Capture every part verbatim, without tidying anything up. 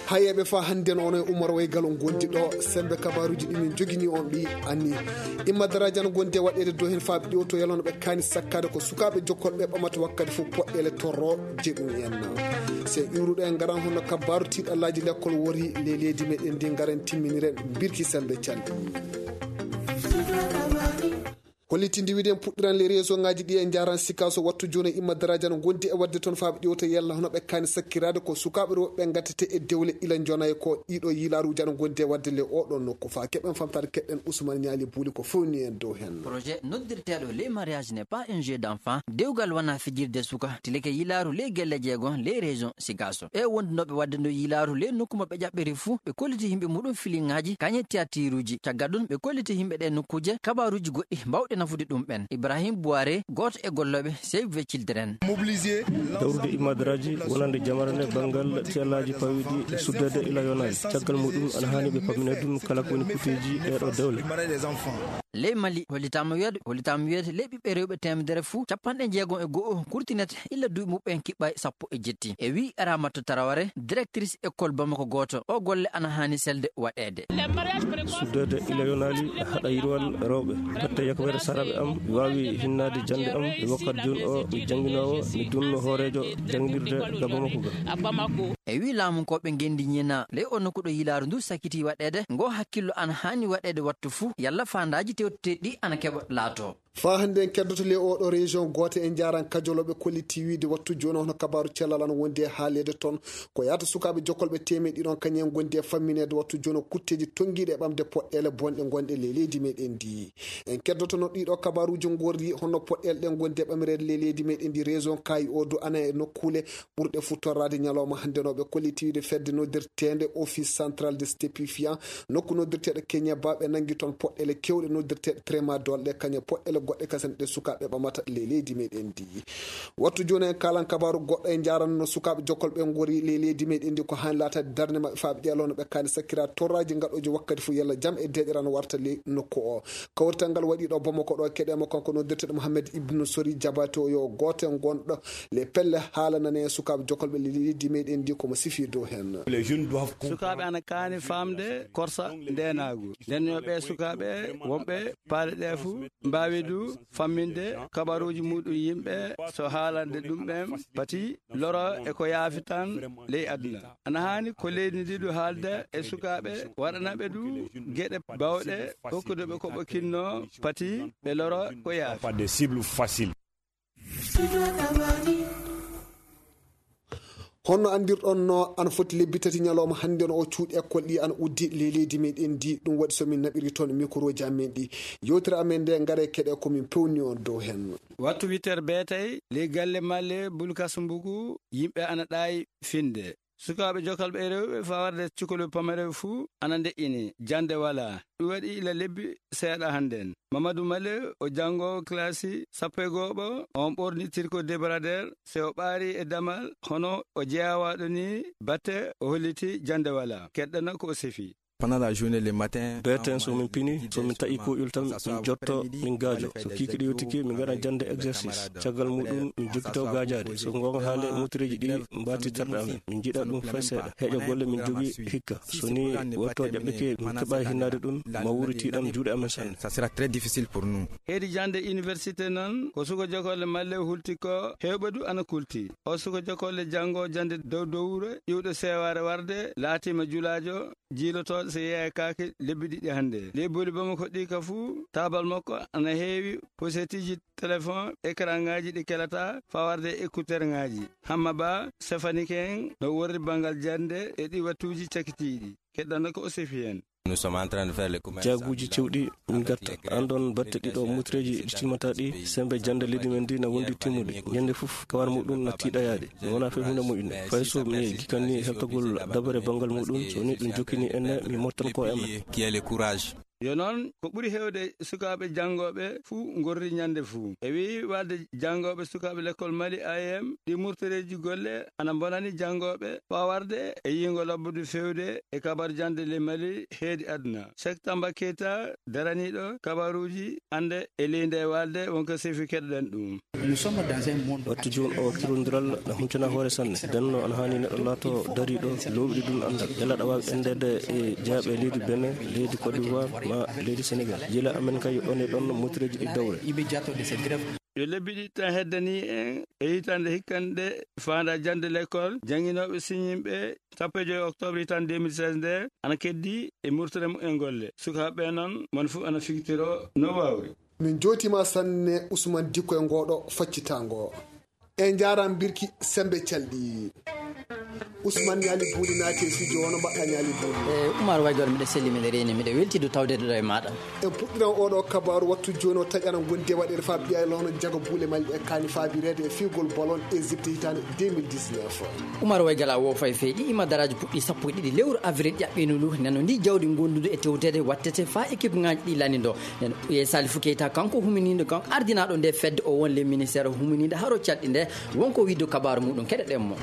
Hayeeɓe, faa hannden onon e Umar Waygal on ngondi ɗo, semmbe kabaaruuji ɗi min njogini on ɗi anni. Imma daraaji ana ngondi e waɗeede dow heen faa ɓe ƴeewto yalla no ɓe kaani sakkaade ko sukaaɓe jokkolɓe ɓamata wakkati fof poɗɗeele torrooje ɗum en. So iwruɗo en ngaran hono kabaaru tiiɗallaaji lekkol wori ley leydi meɗen ndi, ngaren timminiren birki semmbe calɗi. Hollitinde wiide en puɗɗiran les régions ŋaaji ɗi e njaaran Sikaso wattu jooni e imma daraaji ana ngondi e waɗde toon faa ɓe ƴeewta yalla hono ɓe kaani sakkiraade ko sukaaɓe rewɓe ɓe ngattete e dewle ila njonay ko ɗiɗo yilaaruuji ana ngondi e waɗde le oɗo nokku faa keɓen famtaade keɗɗen Ousmane Niali Buuli ko fewni en dow heen. Projet noddirteeɗo les mariages n'est pas un jeu d'enfant, dewgal wonaa fijirde suka, tilike yilaaru les gelle jeego les régions Sikaso. E wondunooɓe waɗde ndu yilaaru les nokku mo ɓe ƴaɓɓiri fuu, ɓe kolliti yimɓe muɗum filiŋaaji, kañe tiyatiiruuji. Caggal ɗum, ɓe kolliti yimɓe ɗee nokkuuje kabaaruuji goɗɗi baawɗi nafude ɗum ɓen. Ibrahim Buware, gooto e gollooɓe Save the Children. Dawrude imma daraaji wonande jamara nde banngal tiyallaaji pawiiɗi e suddeede ila yonaali. Caggal muɗum, ana haani ɓe pamminee ɗum kala ko woni kuuteeji ɗee ɗoo dewle. Ley Mali, hollitaama wiyeede, hollitaama wiyeede ley ɓiɓɓe rewɓe teemedere fuu, capanɗe jeegom e go'o kurtinete illa duuɓi muɓɓen kiɓɓay sappo e jetti. E wi'i Ramata Taraware, directrice école Bamako gooto, o golle ana haani selde waɗeede. Suddeede ila yonaali haɗa yirwal rewɓe. Batte yakobere saraaɓe am waawi hinnaade jannde am e wakkati jooni o mi jannginoowo, mi dunno hooreejo jannginirde ga Bamako ga. E wi'i laamunkooɓe ngenndi ñiina, ley o nokku ɗo yilaaru ndu sakiti waɗeede, ngo hakkillo ana haani waɗeede wattu fuu, yalla faandaaji tewteteeɗi ɗi ana keɓa laato. Faa hannde en keddoto ley oo ɗoo région gooto e njaaran kajolooɓe kolliti wiide wattu jooni hono kabaaru cellal ana wondi e haaleede toon. Ko yaata sukaaɓe jokkolɓe teemeɗɗe ɗiɗon kañum en ngondi e fammineede wattu jooni kutteeji tonngiiɗe e ɓamde poɗɗeele bonɗe ngonɗe ley leydi meɗen ndi. En keddotono ɗiɗo kabaaruuji ngorri hono poɗɗeele ɗe ngondi e ɓamireede ley leydi meɗen ndi région Kaayi o du ana e nokkuule ɓurɗe fuu torraade ñalawma hannde no ɓe kolliti wiide fedde noddirteende Office Central de Stupéfiants, nokku noddirteeɗo Kenya ba ɓe nanngi toon poɗɗeele keewɗe noddirteeɗe tramadol ɗe kañe poɗɗeele goɗɗe kasen ɗe sukaaɓe ɓamata ley leydi meɗen ndi. Wattu jooni en kaalan kabaaru goɗɗo e njaaran no sukaaɓe jokkol ɓe ngori ley leydi meɗen ndi ko haani laataade darnde maɓɓe faa ɓe ƴeewa no ɓe kaani sakkira torraaji ngaɗooji wakkati fuu yalla jam e deeƴere ana warta ley nokku o. Kawrital ngal waɗi ɗo Bamako ɗo keɗe mo kanko noddirteeɗo Mohamed Ibn Sori Jabaate o yo gooto e gonɗo le pelle haalanane en sukaaɓe jokolɓe leydi meɗen ndi komo sifi dow heen. Sukaaɓe ana kaani faamde korsa ndeenaagu. Nden yo ɓe sukaaɓe wonɓe paale ɗe fuu mbaawi du famminde kabaruuji muɗum yimɓe so haalande ɗum ɓen pati loro e ko yaafi tan ley aduna. Ana haani ko leydi ndi du haalde e sukaaɓe, waɗana ɓe du geɗe bawɗe, hokkude ɓe ko ɓe kinno, pati ɓe loro ko yaafi. Pas des cibles faciles. Honno anndirɗon no ana foti lebbi tati ñalawma hannde no o cuuɗi école ɗi ana uddi ley leydi meɗen ndi, ɗum waɗi so min naɓiri toon microji amen ɗi. Yewtere amen nde ngare keɗe ko min pewni on dow heen. Wattu huit heures beetay, ley galle malle Bulkasumbugu, yimɓe ana ɗaayi finde. Sukaaɓe jokalɓe e rewɓe fawarde cukalɓe pamareɓe fuu ana ndeƴƴini, jannde walaa. Ɗum waɗi ila lebbi seeɗa hannden. Mamadou Male, o janngoowo kilasi sappo e go'oɓo, on ɓorni tirko débardeur, se o ɓaari e damal, hono o jeyawaɗo ni batte o holliti jannde walaa. Keɗɗana ko o sefi. Pendant la journée, le matin, beeten so min pini, so min taƴi kuuƴol tan, min jotto, min gaajo. So kiikiiɗe yottike, min ngaɗa jannde exercice. Caggal muɗum, min jokkito gaajaade. So goonga haale, mutireeji ɗi mbaati terɗe amen. Min njiɗa ɗum fay seeɗa. Heeƴa golle min jogii hikka. So ni watto ƴaɓɓike, min keɓa hinnaade ɗum, ma wuuri tiiɗam juuɗe amen sanne. Ça sera très difficile pour nous. Heedi jannde université noon, ko suka jokolle malle hulti ko heewɓe du ana kulti. O suka jokolle janngo jannde dow dowre, iwɗo seewaare warde, laatiima julaajo, jiilotooɗo so yeeya kaake lebbi ɗiɗi hannde. Ley booli Bamako ɗi ka fuu, taabal makko ana heewi posetiiji telefon, ekranŋaaji ɗi kelata, fawarde e écouteurŋaaji. Hamma Ba, Stephanie Keng, no worri banngal jannde e ɗi wattuuji cakitiiɗi. Keɗɗana ko o sefi heen. Nous sommes en train de faire les commerces. Jaaguuji cewɗi min ngatta. Aan ɗoon batte ɗiɗo mutireeji ɗi timmata ɗi, semmbe jannde leydi men ndi na wondi timmude. Ñannde fof kawar muɗum na tiiɗa yaade. Mi wonaa fay huunde moƴƴunde. Fay so mi gikanni heltogol dabare banngal muɗum, so ni ɗum jokkini en, mi mottan ko e amen. Qui est le courage. Yo noon, ko ɓuri heewde sukaaɓe janngooɓe fuu ngorri ñande fuu. E wii walde janngooɓe sukaaɓe lekkol Mali, A E M, ɗi murtoreeji golle ana mbonani janngooɓe faa warde e yiingo lobbude feewde e kabar jande le Mali heedi aduna. Cheikh Tamba Keita, daraniiɗo kabaruuji annde e leydi e walde, wonko sefi keɗoɗen ɗum. Nous sommes dans un monde. Wattu jooni o, kirondiral na huncana hoore sanne. Denno ana haani neɗɗo laato dariiɗo, loowɗi ɗum anndal. Yalla aɗa waawi endeede e jaaɓe leydi Benin, leydi Côte d'Ivoire, ma leydi Sénégal. Yila amen kay yo ɗon e ɗon motireeji ɗi dawre. Immédiato de cette grève. Yo lebbi ɗiɗi tan heddanii en e hitaande hikkanɗe faanda jande l'école, jannginooɓe siñinɓe sappo e joy octobre hitaande deux mille seize nde ana keddi e murtere mumen golle. Sukaaɓe noon, mon fof ana figtiro no waawri. Min njootiima sanne Ousmane Dikko e ngooɗo faccitaango. En njaaraama mbirki sembe calɗi. Ousmane Ñaali Buuli naati e studio, hono mbaɗɗaa Ñaali Buuli? E Umar Waygal, miɗo selli, miɗo reeni, miɗo weltii du tawde ɗo e maaɗa. En puɗɗiran oɗo kabaaru wattu jooni o taƴana ngonde waɗeede faa ɓiya e lono jaga buule Mali ɗe kaani faabireede e fiigol bolon Égypte hitaande deux mille dix-neuf. Umar Waygal, a woofay feyɗi ima daraaji puɗɗi sappo e ɗiɗi lewru avril ƴaɓɓiino ndu. Neno ndi jawdi gondudu e tewteede wattete faa équipe ŋaaji ɗi lani ndo. Neno Ɓiye Salifu Keita, kanko huminiiɗo, kanko ardinaaɗo nde fedde o won le ministère huminiiɗo haro calɗi nde, wonko wiide kabaaru muɗum, keɗoɗen mo.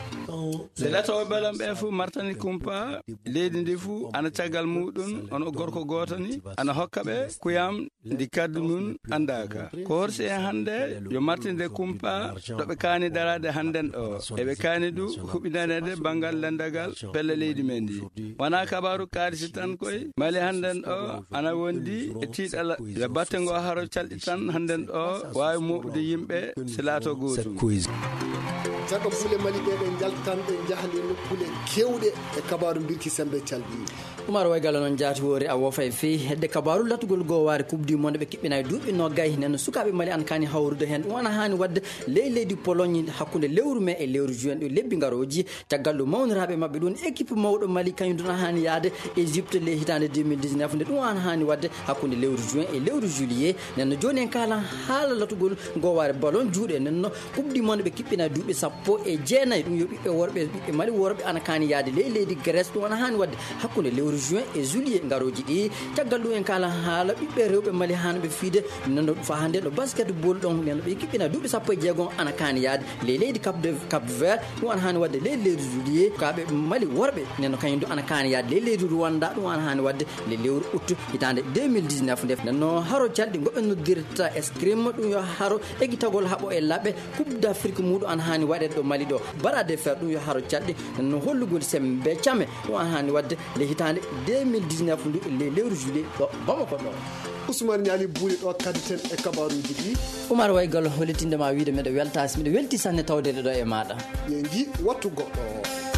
Nde latooɓe balon ɓe fof martani kumpa, leydi ndi fof ana caggal muɗum, ono gorko gooto ni, ana hokka ɓe kuyam ndi kaddu mum anndaaka. Ko horsi en hannde yo martinde kumpa ɗo ɓe kaani daraade hannden ɗo. Eɓe kaani du huɓindaneede banngal lenndagal pelle leydi men ndi. Wonaa kabaaru kaalisi tan koy, Mali hannden ɗo ana wondi e tiiɗalla yo batte ngo haro calɗi tan hannden ɗo waawi mooɓude yimɓe si laato gootum. Jaga buule Mali ɗe, ɗe njaltan, ɗe njaha le nokkuule keewɗe e kabaaru mbirki sembe calɗi. Umar Waygal, noon jaati woori a woofa e fii hedde kabaaru latugol goowaare Coupe du Monde ɓe kiɓɓinay duuɓi noogay. Nen sukaaɓe Mali an kaani hawrude heen. Ɗum ana haani waɗde ley leydi Pologne hakkunde lewru mee e lewru juin ɗo lebbi ngarooji. Caggal ɗum mawniraaɓe maɓɓe ɗum équipe mawɗo Mali kañum ɗum ana haani yahde Égypte ley hitaande deux mille dix-neuf nde ɗum ana haani waɗde hakkunde lewru juin e lewru juillet. Nen no jooni en kaalan haala latugol goowaare ballon juuɗe. Nen no Coupe du Monde ɓe kiɓɓina duuɓi sappo e jeenayi. Ɗum yo ɓiɓɓe worɓe, ɓiɓɓe Mali worɓe ana kaani yahde ley leydi Grèce. Ɗum ana haani waɗde hakkunde lewru juin e juillet ngarooji ɗi. Caggal ɗum en kaalan haala ɓiɓɓe rewɓe Mali haanɓe fiide. Nen no faa hannde no basketball ɗon, nen no ɓe kiɓɓina duuɓi sappo e jeegom ana kaani yahde ley leydi Cap de, Cap Vert. Ɗum ana haani waɗde ley leydi juillet. Sukaaɓe Mali worɓe nen no kañum du ana kaani yahde ley leydi Rwanda. Ɗum ana haani waɗde le lewru août hitaande deux mille dix-neuf nde. Nen no haro calɗi ngo ɓe noddirta escrime, ɗum yo haro ekitagol haɓo e laɓe. Coupe d'Afrique muɗum ana haani waɗeede ɗo Mali ɗo. Bras de fer ɗum yo haro calɗi. Nen no hollugol sembe came ɗum ana haani waɗde le hitaande deux mille dix-neuf ndu le lewru juillet ɗo Bamako ɗo. Ousmane Ñaali Buuli ɗo kadditen e kabaaruuji ɗi. Umar Waygal, hollitinde ma wiide miɗo weltaasi, miɗo welti sanne tawdeede ɗo e maaɗa. Ɓe nji wattu goɗɗo.